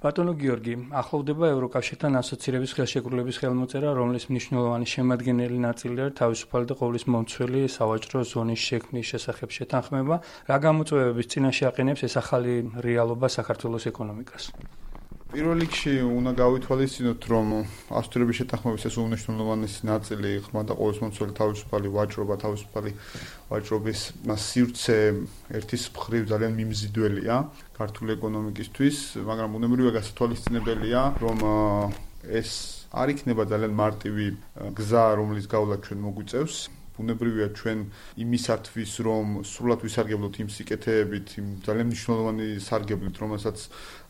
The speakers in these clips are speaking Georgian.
ბატონო გიორგი, ახლოვდება ევროკავშირთან ასოცირების ხელშეკრულების ხელმოწერა, რომლის მნიშვნელოვანი შემადგენელი ნაწილია თავისუფალი და ყოვლის მომცველი სავაჭრო ზონის შექმნის შესახებ შეთანხმება. რა გამოწვევების წინაშე აყენებს ეს ახალი რეალობა საქართველოს ეკონომიკას? პირველ რიგში უნდა გავითვალისწინოთ, რომ ასოცირების შეთანხმების ეს უმნიშვნელოვანესი ნაწილი ხმა და ყოვლის მომცველი თავისუფალი ვაჭრობა, თავისუფალი ვაჭრობის სივრცე ერთის მხრივ ძალიან მიმზიდველია ქართული ეკონომიკისთვის, მაგრამ უნებრივია გასათვალისწინებელია, რომ ეს არ იქნება ძალიან მარტივი გზა, რომლის გავლა ჩვენ მოგვიწევს. უნებრივია ჩვენ იმისათვის, რომ სრულად ვისარგებლოთ იმ სიკეთეებით, იმ ძალიან მნიშვნელოვანი სარგებლით, რომელსაც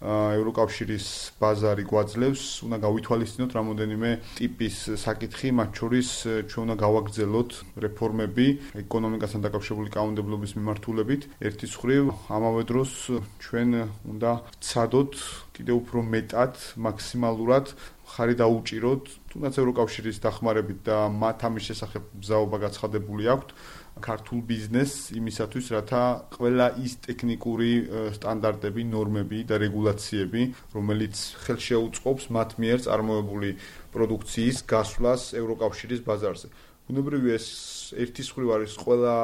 ევროკავშირის ბაზარი გვაძლევს, უნდა გავითვალისწინოთ რამოდენიმე ტიპის საკითხი, მათ შორის ჩვენ უნდა გავაგრძელოთ რეფორმები ეკონომიკასთან დაკავშირებული კანონმდებლობის მიმართულებით. ერთის მხრივ, ამავე დროს ჩვენ უნდა ვცადოთ კიდევ უფრო მეტად, მაქსიმალურად ხარი დაუჭიროთ, თუნდაც ევროკავშირის დახმარებით და მათ ამის შესახებ მზაობა გაცხადებული აქვთ ქართულ ბიზნესს იმისათვის, რათა ყველა ის ტექნიკური სტანდარტები, ნორმები და რეგულაციები, რომელიც ხელშეუწყობს მათ მიერ წარმოებული პროდუქციის გასვლას ევროკავშირის ბაზარზე. უნებრივია ეს ერთის მხრივ არის ყველა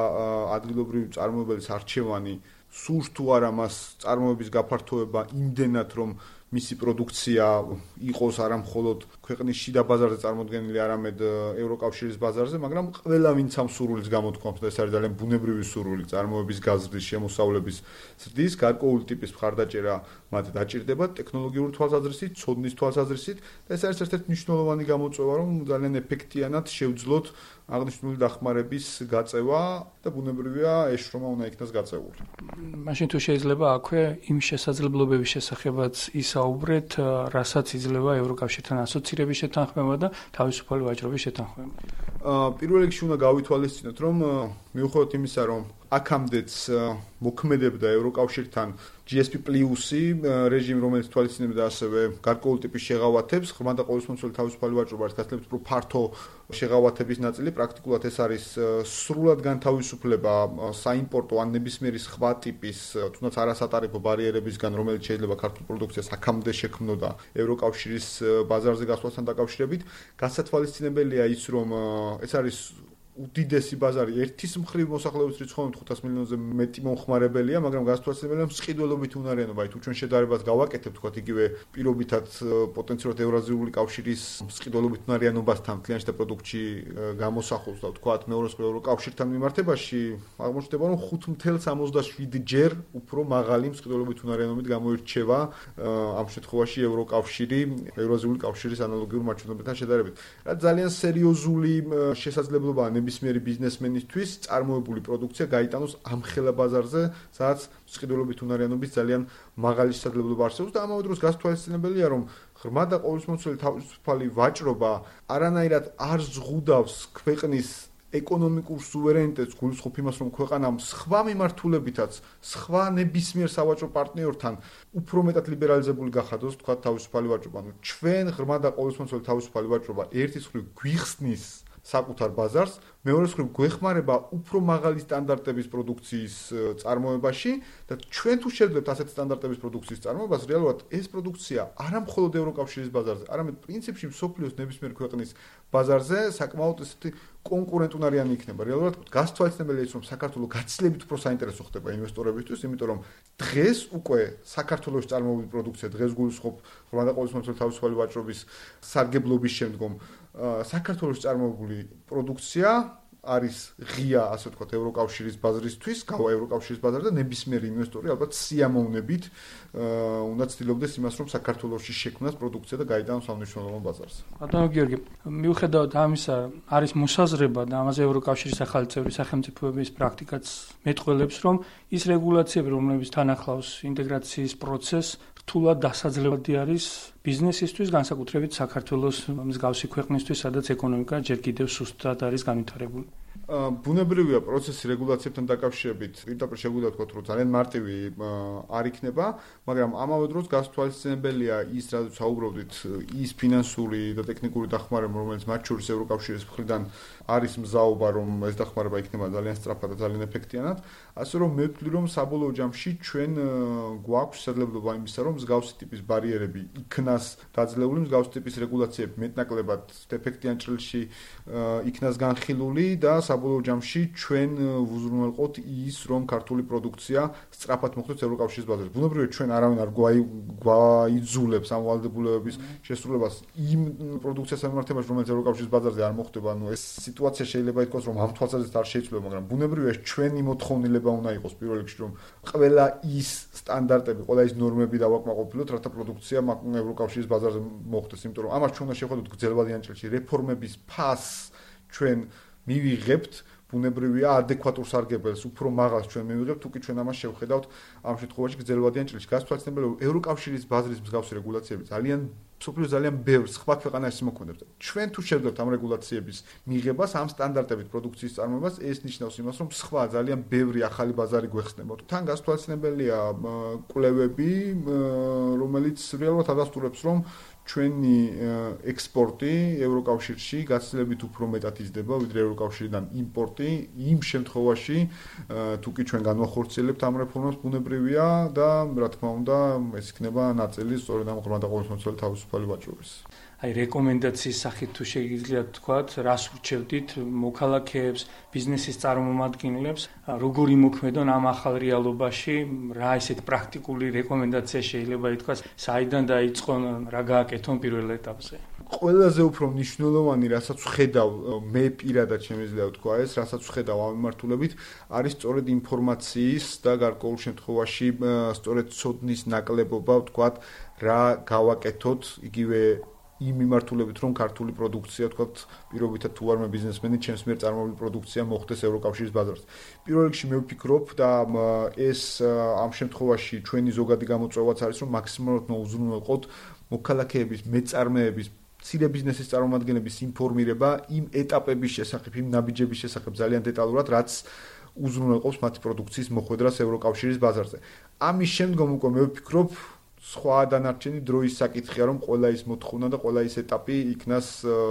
ადგილობრივი წარმოებელის არჩევანი, სურს თუ არა მას წარმოების გაფართოება იმდენად, რომ მისი პროდუქცია იყოს არა მხოლოდ ქვეყნის შიდა ბაზარზე წარმოდგენილი, არამედ ევროკავშირის ბაზარზე, მაგრამ ყველა ვინც ამ სურვილს გამოთქვამს და ეს არის ძალიან ბუნებრივი სურვილი წარმოების გაზრდის, შემოსავლების ზრდის, გარკვეული ტიპის მხარდაჭერა მათ დაჭირდება ტექნოლოგიური თვალსაზრისით, ცოდნის თვალსაზრისით და ეს არის ერთ-ერთი მნიშვნელოვანი გამოწვევა, რომ ძალიან ეფექტიანად შევძლოთ აღნიშნული დახმარების გაწევა და ბუნებრივია ეს შრომა უნდა იქნას გაწეული. მაშინ თუ შეიძლება აქვე იმ შესაძლებლობების შესახებაც ისაუბრეთ, რასაც იძლევა ევროკავშირთან ასოცირების შეთანხმება და თავისუფალი ვაჭრობის შეთანხმება. პირველ რიგში უნდა გავითვალისწინოთ, რომ მიუხედავად იმისა, რომ აქამდეც მოქმედებდა ევროკავშირთან GSP+ რეჟიმი, რომელიც თვალისწინებდა ასევე გარკვეული ტიპის შეღავათებს, ხმა და ყოვლის მომცველი თავისუფალი ვაჭრობა არის გაცილებით უფრო ფართო შეღავათების ნაწილი, პრაქტიკულად ეს არის სრულად განთავისუფლება საიმპორტო ან ნებისმიერი სხვა ტიპის, თუნდაც არასატარიფო ბარიერებისგან, რომელიც შეიძლება ქართულ პროდუქციას აქამდე შექმნოდა ევროკავშირის ბაზარზე გასვლასთან დაკავშირებით. გასათვალისწინებელია ის, რომ ეს არის უდიდესი ბაზარი ერთის მხრივ მოსახლეობის რიცხვით 500 მილიონზე მეტი მომხმარებელია, მაგრამ გასათვალისწინებელია მსყიდველობით უნარიანობა. თუ ჩვენ შედარებას გავაკეთებთ, თქვათ იგივე პირობითად პოტენციურად ევრაზიული კავშირის მსყიდველობით უნარიანობასთან მთლიან შიდა პროდუქტში გამოსახულს და თქვათ მეორე მხრივ ევროკავშირთან მიმართებაში აღმოჩნდება, რომ 5.67 ჯერ უფრო მაღალი მსყიდველობით უნარიანობით გამოირჩევა ამ შემთხვევაში ევროკავშირი ევრაზიული კავშირის ანალოგიურ მარჩვენებებთან შედარებით. რაც ძალიან სერიოზული შესაძლებლობაა ნებისმიერი ბიზნესმენისთვის წარმოებული პროდუქცია გაიტანოს ამ ხელა ბაზარზე, სადაც მსყიდველობით უნარიანობის ძალიან მაღალი შესაძლებლობა არსებობს და ამავე დროს გასათვალისწინებელია, რომ ღრმა და ყოვლისმომცველი თავისუფალი ვაჭრობა არანაირად არ ზღუდავს ქვეყნის ეკონომიკურ სუვერენიტეტს, გულისხმობ იმას, რომ ქვეყანამ სხვა მიმართულებითაც, სხვა ნებისმიერ სავაჭრო პარტნიორთან უფრო მეტად ლიბერალიზებული გახადოს, თქვა თავისუფალი ვაჭრობა. ჩვენ ღრმა და ყოვლისმომცველი თავისუფალი ვაჭრობა ერთის მხრივ გვიხსნის საკუთარ ბაზარს, მეორე მხრივ გვეხმარება უფრო მაღალი სტანდარტების პროდუქციის წარმოებაში და ჩვენ თუ შევძლებთ ასეთი სტანდარტების პროდუქციის წარმოებას, რეალურად ეს პროდუქცია არა მხოლოდ ევროკავშირის ბაზარზე, არამედ პრინციპში მსოფლიოს ნებისმიერ ქვეყნის ბაზარზე საკმაოდ ესეთი კონკურენტუნარიანი იქნება. რეალურად გასათვალისწინებელია ის, რომ საქართველოს გაცილებით უფრო საინტერესო ხდება ინვესტორებისთვის, იმიტომ რომ დღეს უკვე საქართველოს წარმოებული პროდუქცია, დღეს გულისხმობ ღრმა და ყოვლისმომცველი თავისუფალი ვაჭრობის სარგებლობის შემდგომ საქართველოს წარმოებული პროდუქცია არის ღია, ასე ვთქვათ, ევროკავშირის ბაზრისთვის, გავა ევროკავშირის ბაზარზე და ნებისმიერი ინვესტორი ალბათ სიამოვნებით უნდა ცდილობდეს იმას, რომ საქართველოში შექმნას პროდუქცია და გაიტანოს ამ მნიშვნელოვან ბაზარზე. ბატონო გიორგი, მიუხედავად ამისა, არის მოსაზრება და ამაზე ევროკავშირის ახალი წევრი სახელმწიფოების პრაქტიკაც მეტყველებს, რომ ის რეგულაციები, რომლებიც თან ახლავს ინტეგრაციის პროცესს, რთულად დასაძლებადი არის ბიზნესისთვის, განსაკუთრებით საქართველოს მსგავსი ქვეყნისთვის, სადაც ეკონომიკა ჯერ კიდევ სუსტად არის განვითარებული. ბუნებრივია პროცესი რეგულაციებთან დაკავშირებით, პირდაპირ შეგვიძლია ვთქვათ, რომ ძალიან მარტივი არ იქნება, მაგრამ ამავე დროს გასათვალისწინებელია ის, რადგან საუბრობდით, ის ფინანსური და ტექნიკური დახმარება, რომელიც მათ შორის ევროკავშირის მხრიდან არის მზაობა, რომ ეს დახმარება იქნება ძალიან სწრაფად და ძალიან ეფექტიანად, ასე რომ მე ვთვლი, რომ საბოლოო ჯამში ჩვენ გვაქვს შესაძლებლობა იმისა, რომ მსგავსი ტიპის ბარიერები იქნას დაძლეული, მსგავსი ტიპის რეგულაციები მეტნაკლებად ეფექტიან ჭრილში იქნას განხილული და საბოლოო ჯამში ჩვენ ვუზრუნველყოთ ის, რომ ქართული პროდუქცია სწრაფად მოხვდეს ევროკავშირის ბაზარზე. ბუნებრივია ჩვენ არავინ არ გვაიძულებს ამ ვალდებულებების შესრულებას იმ პროდუქციას მიმართებაში, რომელიც ევროკავშირის ბაზარზე არ მოხვდება. ანუ ეს სიტუაცია შეიძლება ითქვას, რომ ამ თვალსაზრისით არ შეიცვლება, მაგრამ ბუნებრივია ჩვენი მოთხოვნილება უნდა იყოს პირველ რიგში, რომ ყველა ის სტანდარტები, ყველა ის ნორმები დავაკმაყოფილოთ, რათა პროდუქცია ევროკავშირის ბაზარზე მოხვდეს, იმიტომ რომ ამას ჩვენ უნდა შევხედოთ გრძელვადიან ჭრილში. რეფორმების ფასს ჩვენ მივიღებთ, ბუნებრივია ადეკვატურ სარგებელს უფრო მაღალს ჩვენ მივიღებთ, თუკი ჩვენ ამას შევხედავთ ამ შემთხვევაში გრძელვადიან ჭრილში. გასათვალისწინებელია, რომ ევროკავშირის ბაზრის მსგავსი რეგულაციები მსოფლიოს ძალიან ბევრ სხვა ქვეყანაში მოქმედებს. ჩვენ თუ შევძლებთ ამ რეგულაციების მიღებას, ამ სტანდარტებით პროდუქციის წარმოებას, ეს ნიშნავს იმას, რომ სხვა ძალიან ბევრი ახალი ბაზარი გვეხსნება. თან გასათვალისწინებელია კვლევები, რომელიც რეალურად ადასტურებს, რომ ჩვენი ექსპორტი ევროკავშირში გაცილებით უფრო მეტად იზრდება, ვიდრე ევროკავშირიდან იმპორტი, იმ შემთხვევაში, თუკი ჩვენ განვახორციელებთ ამ რეფორმას, ბუნებრივია და რა თქმა უნდა, ეს იქნება ნაწილი სწორედ ამ ღრმა და ყოველმხრივი თავისუფალი ვაჭრობის. აი რეკომენდაციის სახით თუ შეგიძლიათ თქვათ, რას ურჩევდით მოქალაქეებს, ბიზნესის წარმომადგენლებს, როგორ იმოქმედონ ამ ახალ რეალობაში, რა ესეთ პრაქტიკული რეკომენდაცია შეიძლება ითქვას, საიდან დაიწყონ, რა გააკეთონ პირველ ეტაპზე. ყველაზე უფრო მნიშვნელოვანი, რასაც ვხედავ, მე პირადად შემიძლია ვთქვა ეს, რასაც ვხედავ ამ მიმართულებით, არის სწორედ ინფორმაციის და გარკვეულ შემთხვევაში სწორედ ცოდნის ნაკლებობა, ვთქვათ, რა გავაკეთოთ, იგივე იმ მიმართულებით, რომ ქართული პროდუქცია, თქვათ, პირობითად თუ ვარმე ბიზნესმენი, ჩემს მიერ წარმოებული პროდუქცია მოხვდეს ევროკავშირის ბაზარზე. პირველ რიგში მე ვფიქრობ და ეს ამ შემთხვევაში ჩვენი ზოგადი გამოწვევაც არის, რომ მაქსიმალურად მოუზრუნველყოთ მოქალაქეების, მეწარმეების, მცირე ბიზნესის წარმომადგენლების ინფორმირება იმ ეტაპების შესახებ, იმ ნაბიჯების შესახებ ძალიან დეტალურად, რაც უზრუნველყოფს მათი პროდუქციის მოხვედრას ევროკავშირის ბაზარზე. ამის შემდგომ უკვე მე ვფიქრობ, სხვა დანარჩენი დროის საკითხია, რომ ყველა ის მოთხოვნა და ყველა ის ეტაპი იქნას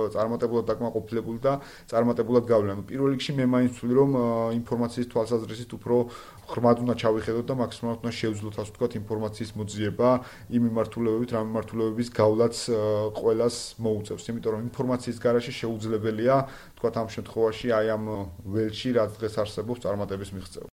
წარმატებულად დაკმაყოფილებული და წარმატებულად გავლენა. პირველ რიგში მე მაინც ვთვლი, რომ ინფორმაციის თვალსაზრისით უფრო ღრმად უნდა ჩავიხედოთ და მაქსიმალურად უნდა შევძლოთ, ასე ვთქვათ, ინფორმაციის მოძიება იმ მიმართულებებით, რა მიმართულებების გავლაც ყველას მოუწევს. იმიტომ რომ ინფორმაციის გარეშე შეუძლებელია, ვთქვათ, ამ შემთხვევაში აი ამ ველში, რაც დღეს არსებობს, წარმატების მიღწევა.